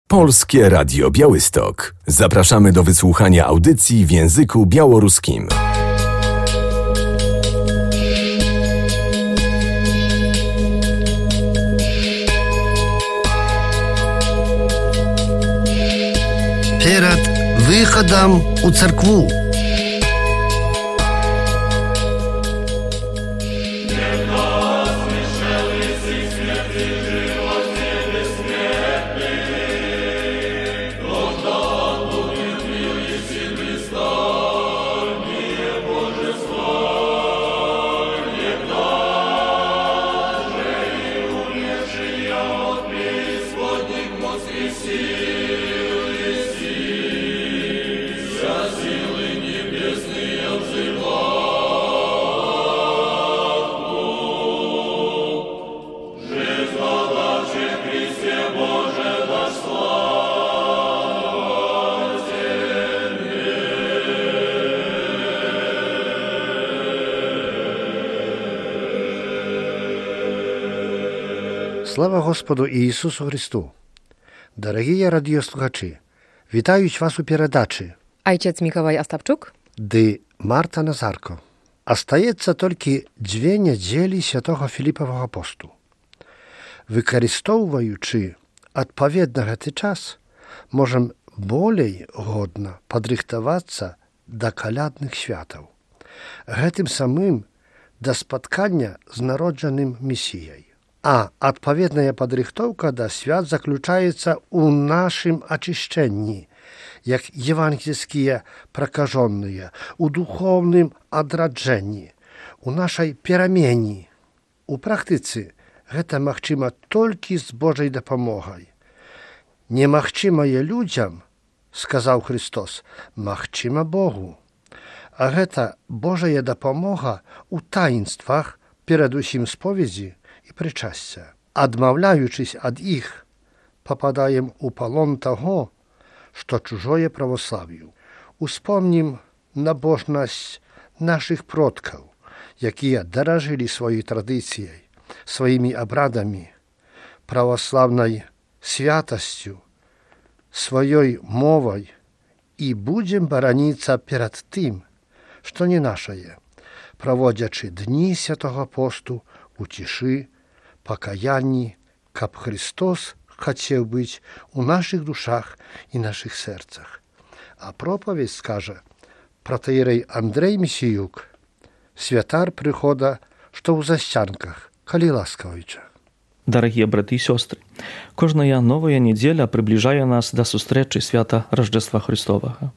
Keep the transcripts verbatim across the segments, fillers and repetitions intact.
Polskie Radio Białystok. Zapraszamy do wysłuchania audycji w języku białoruskim. Перед выходом у церкву. Слава Господу Ісусу Христу! Дорогі радіослухачі, вітають вас у передачі. Ojciec Mikołaj Ostapczuk. Dy Marta Nazarko. Остається тільки дві неділі Святого Філіпового посту. Використовуючи відповідно цей час, можемо більш годно підрихтуватися до колядних святів. Гэтым самим до споткання з народженим Месією. А адпаведная падрыхтоўка да свят заключаецца ў нашым ачышчэнні, як евангельскія пракажоныя, у духоўным адраджэнні, у нашай перамене. У практыцы гэта магчыма толькі з Божай дапамогай. Немагчымае людзям, сказаў Христос, магчыма Богу. А гэта Божая дапамога ў таінствах, перадусім споведзі, і причастя. Адмаўляючись ад іх, попадаем у палон таго, што чужое православ'ю. Успомнім набожнасць нашых продкаў, якія даражылі сваёй традыцыяй, сваімі абрадамі, православнай святасцю, сваёй мовай і будзем бараніцца перад тым, што не нашае, праводзячы дні святого посту у цішы, пакаянні, каб Христос хацеў быць у нашых душах і нашых сэрцах. А пропаведь скажа протоіерей Андрэй Месіюк, святар прыхода, што ў засцянках, калі ласкавіча. Дарагія браты і сёстры, кожная новая недзеля прыбліжае нас да сустрэчы свята Раждества Христовага.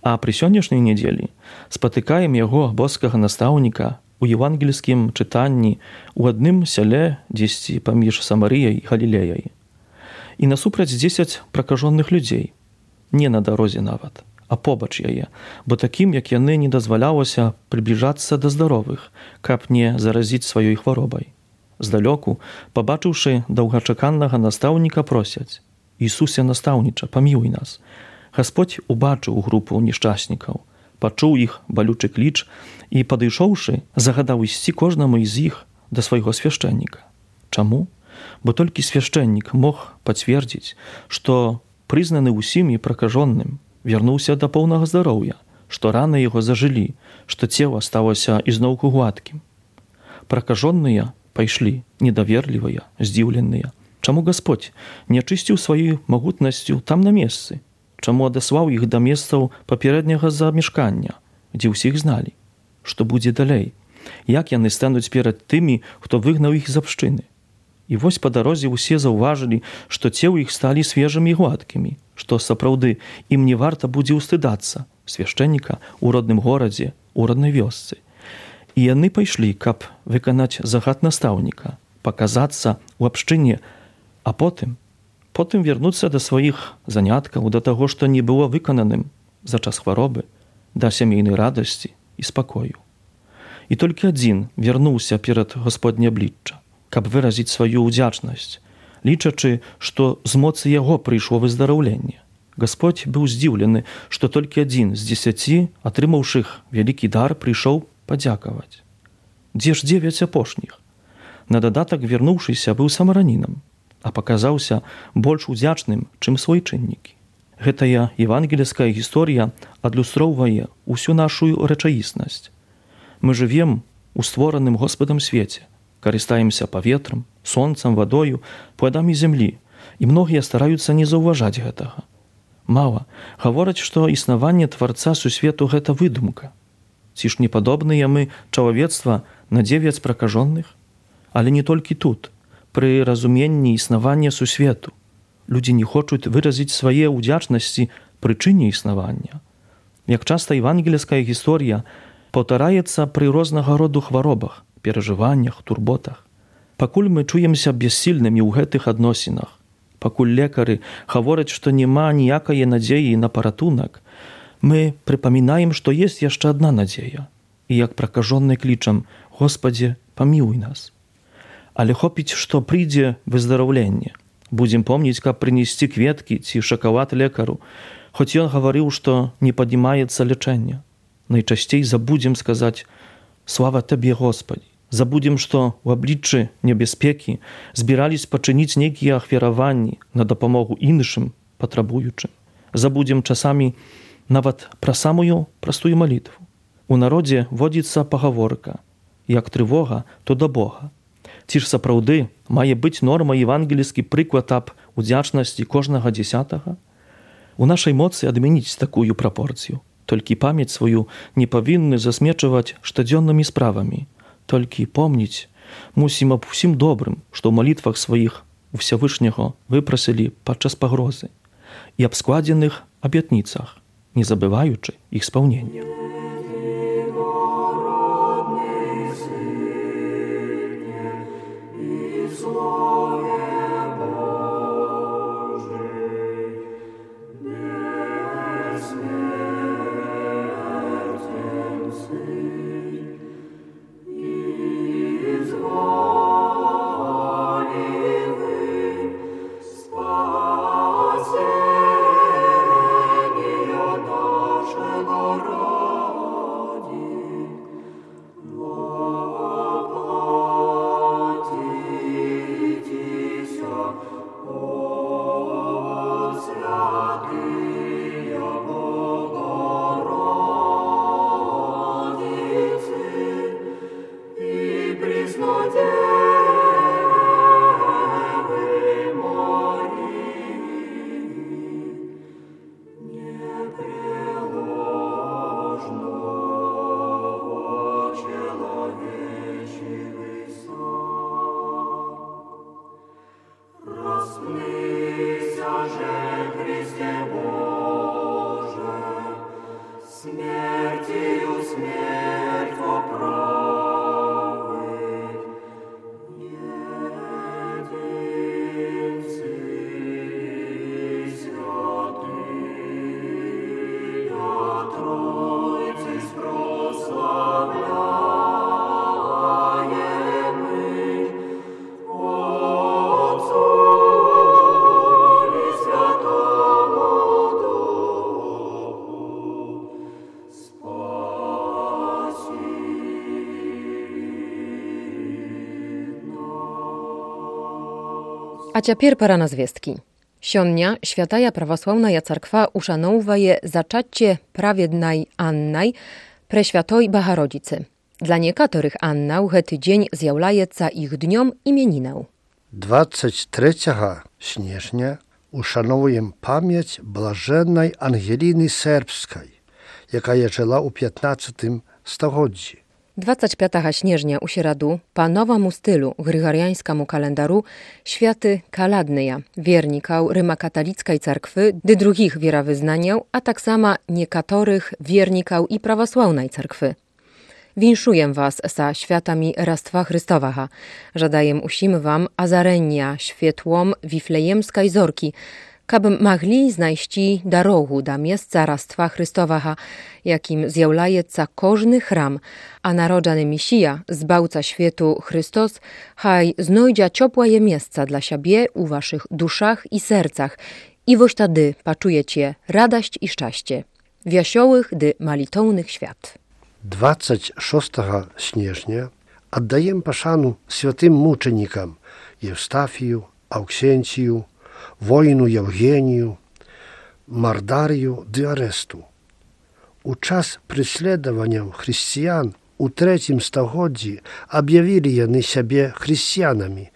А пры сённяшняй недзелі спатыкаем яго боскага настаўніка у евангельскім чытанні ў адным сяле дзесьці паміж Самарыяй і Галілеяй. І насупраць дзесяць пракажоных людзей, не на дарозе нават, а побач яе, бо такім, як яны, не дазвалялася прыбліжацца да здаровых, каб не заразіць сваёй хваробай. Здалёку, пабачыўшы даўгачаканнага настаўніка, просяць: «Ісусе настаўніча, памілуй нас». Гасподзь убачыў групу нешчаснікаў, пачуў іх балючы кліч і, падышоўшы, загадаў ісці кожнаму з іх да свайго свяшчэнніка. Чаму? Бо толькі свяшчэннік мог пацвердзіць, што прызнаны ўсім і пракажоным вярнуўся да поўнага здароўя, што раны яго зажылі, што цела сталася ізноўку гладкім. Пракажоныя пайшлі, недаверлівыя, здзіўленыя. Чаму Гасподзь не ачысціў сваёй магутнасцю там на месцы? Чаму адаслаў іх да месцаў папярэдняга замешкання, дзе ўсіх зналі? Што будзе далей? Як яны стануць перад тымі, хто выгнаў іх з абшчыны? І вось па дарозе ўсе заўважылі, што целы іх сталі свежымі і гладкімі, што сапраўды ім не варта будзе ўстыдацца свяшчэнніка ў родным горадзе, у роднай вёсцы. І яны пайшлі, каб выканаць загад настаўніка, паказацца ў абшчыне, а потым потым вярнуцца да сваіх заняткаў, да таго, што не было выкананым за час хваробы, да сямейнай радасці і спакою. І толькі адзін вярнуўся перад Гасподне аблічча, каб выразіць сваю ўдзячнасць, лічачы, што з моцы яго прыйшло выздараўленне. Гасподзь быў здзіўлены, што толькі адзін з дзесяці, атрымаўшых вялікі дар, прыйшоў падзякаваць. Дзе ж дзевяць апошніх? На дадатак, вярнуўшыся, быў самаранінам. а паказаўся больш удзячным, чым свойчыннікі. Гэтая евангельская гісторыя адлюстроўвае ўсю нашу рэчаіснасць. Мы жывем у створаным Господам свеце, карыстаемся паветрам, сонцам, вадою, пладамі зямлі, і многія стараюцца не заўважаць гэтага. Мала гавораць, што існаванне Тварца сусвету – гэта выдумка. Ці ж не падобныя мы чалавецтва на дзевяць пракажоных? Але не толькі тут. Пры разуменні існавання сусвету людзі не хочуць выразіць свае ўдзячнасці прычыне існавання. Як часта евангельская гісторыя паўтараецца пры рознага роду хваробах, перажываннях, турботах. Пакуль мы чуемся бессільнымі ў гэтых адносінах, пакуль лекары гавораць, што няма ніякае надзеі на паратунак, мы прыпамінаем, што ёсць яшчэ адна надзея. І як пракажоны клічам: «Господзе, памілуй нас». Але хопіць, што прыйдзе выздараўленне. Будзем помніць, каб прынесці кветкі ці шакалад лекару, хоць ён гаварыў, што не паднімаецца лячэнне. Найчасцей забудзем сказаць: «Слава Табе, Господі». Забудзем, што ў абліччы небяспекі збірались пачыніць нейкія ахвяраванні на дапамогу іншым патрабуючым. Забудзем часамі нават пра самую простую малітву. У народзе водзіцца пагаворка: як трывога, то да Бога. Ці ж сапраўды мае быць норма евангельскі прыклад аб удзячнасці кожнага дзесятага? У нашай моцы адмяніць такую прапорцыю. Толькі памяць сваю не павінны засмечваць штодзённымі справамі. Толькі помніць мусім аб усім добрым, што ў малітвах сваіх у Всевышняго выпрасілі падчас пагрозы, і аб складзеных абятніцах, не забываючы іх спаўнення. А цяпер пара на звесткі. Сёння Świętая Prawosławna Царква ушаноўвае зачацце праведнай Аннай Прэсвятой Багародзіцы. Для некаторых Анна ў гэты дзень з'яўляецца іх днём імянінаў. двадцять третьего снежня ушановуем памяць блаженнай Ангеліны Сербскай, якая жыла ў пятнадцатым стагоддзі. двадцять пятого снежня у сераду па новаму стылю грыгарыянскаму календару święty Kaladnyja, wiernikаў рыма-каталіцкай царквы ды другіх веравызнанняў, а таксама некаторых вернікаў і праваслаўнай царквы. Віншуjem was sa świętami Rastwa Chrystowego. Żadajem усім wam azarenia światłom wiflejemskiej zorki, kaby mogli znajść darogу do miejsca Rastwa Chrystowego, jakim zjawlaється każdy chram, a narodzony Mesija, Zbawca światu Chrystus, haj znajdzie ciepłe miejsce dla siebie u waszych duszach i sercach i woś wtedy poczujecie radość i szczęście. Wesołych dy malitownych świat. двадцать шестого снежня отдаем пашану святым мученикам Евстафию, Auksenciju, воїну Євгенію, Мардарію ди Аресту. У час преследования християн у третьем стагоддзі объявили яны сябе хрысціянамі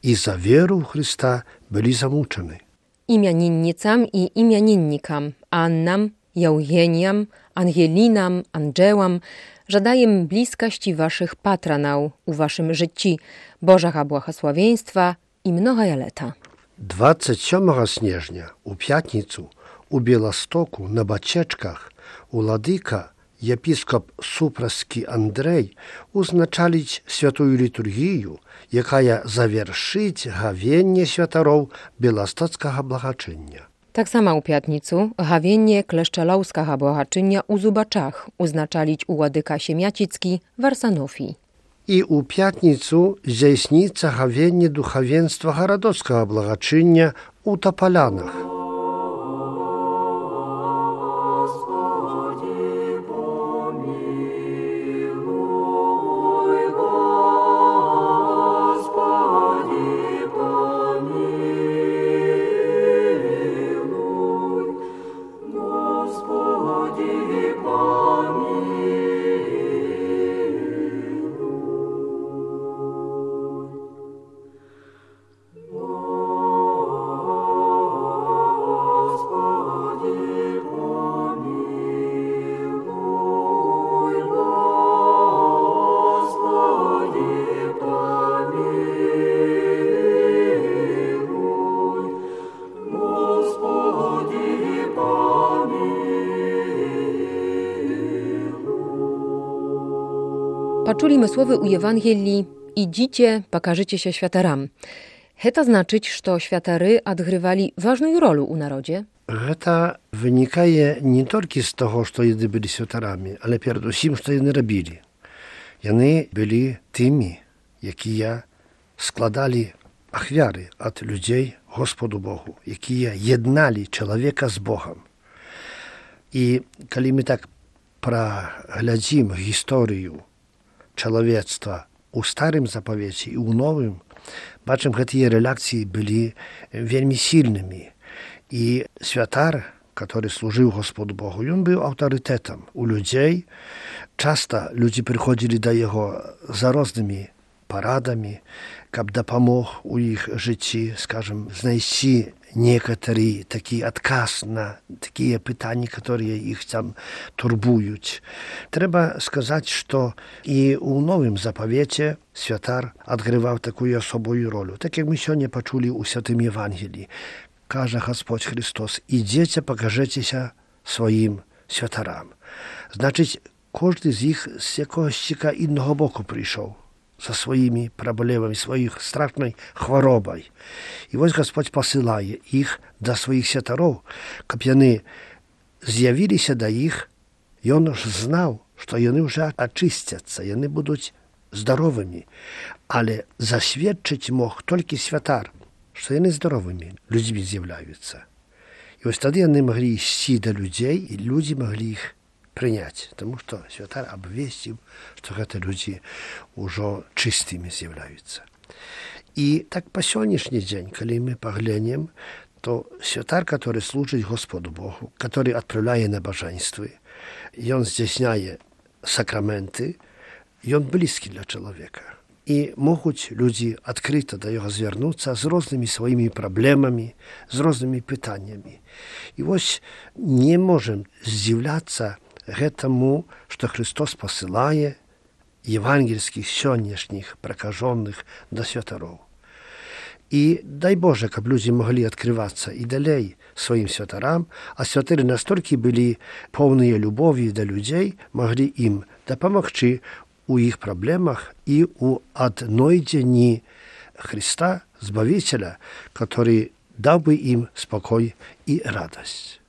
і за веру ў Христа былі замучаны. Imiennicam i imiennikam, Annam, Eugeniam, Angelinam, Andżełam, żadajem bliskości waszych patronał u waszym życiu, Bożego błogosławieństwa i mnoga leta. двадцять сьомого снежня у п'ятницю у Білостоку на Бачечках уладика єпіскоп Супраський Андрей узначалить святую літургію, яка завершить гавенне святаров Білостоцького благочиння. Tak samo u piatnicu gawienie kleszczelowskiego błahaczynia u Zubaczach uznaczalić u ładyka Siemiacicki w Arsanofi. І у п'ятницю здійсниться гавенне духовенства Городоцького благочиння у Тополянах. Poczuli słowy u Ewangelii: idzicie, pokażecie się świataram. Heta znaczyć, że światary odgrywali ważną rolę u narodzie? Гэта вынікае не толькі з таго, што яны былі святарамі, але перадусім, што яны рабілі. Яны былі тымі, якія складалі ахвяры ад людзей Господу Богу, якія єдналі чалавека з Богам. І калі мы так праглядзім гісторыю чалавецтва у старым запавеце і ў новым, бачым, гэтыя рэляцыі былі вельмі сильнымі. І святар, который служыў Господу Богу, ён быў аўтарытэтам у людзей. Часта людзі прыходзілі да яго за рознымі парадамі, каб дапамог у іх жыцці, скажем, знайсці некаторы такі адказ на такія пытанні, которые іх там турбуюць. Трэба сказаць, што і ў новым запавеце святар адгрываў такую асобую ролю. Так як мы сёння пачулі ў святым Евангеліі. Каже Господь Христос: ідзеце, пакажэцеся сваім святарам. Значыць, кожны з іх з якогосьціка інного боку прыйшоў са сваімі праблемамі, сваіх страшнай хваробай. І вось Господь пасылае іх да сваіх святароў, каб яны з'явіліся да іх. Ён ж знаў, што яны ўжо ачысцяцца, яны будуць здаровымі. Але засведчыць мог толькі святар, што яны здаровымі людзьмі з'яўляюцца. І вось тады яны маглі ісці да людзей, і людзі маглі іх прыняць, таму што святар абвесціў, што гэта людзі ўжо чыстымі з'яўляюцца. І так па сённяшні дзень, калі мы паглянем, то святар, который служыць Господу Богу, который адпраўляе набажэнствы, ён здзяйсняе сакраменты, ён блізкі для чалавека. І могуць людзі адкрыта да яго звярнуцца з рознымі сваімі праблемамі, з рознымі пытаннямі. І вось не можам здзіўляцца гэтаму, што Христос пасылае евангельскіх сённяшніх пракажоных да святароў. І дай Боже, каб людзі маглі адкрывацца і далей сваім святарам, а святары настолькі былі поўныя любові да людзей, маглі ім дапамагчы у іх праблемах і у аднойдзенні Христа, Збавителя, который дал бы им спокой и радость.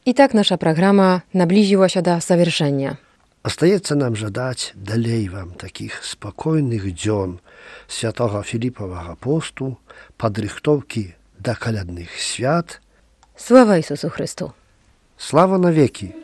Итак, наша программа наблизилась до завершения. Остается нам жадать далей вам таких спокойных дзён святого Филиппового посту, подрыхтовки до колядных свят. Слава Иисусу Христу! Слава навеки!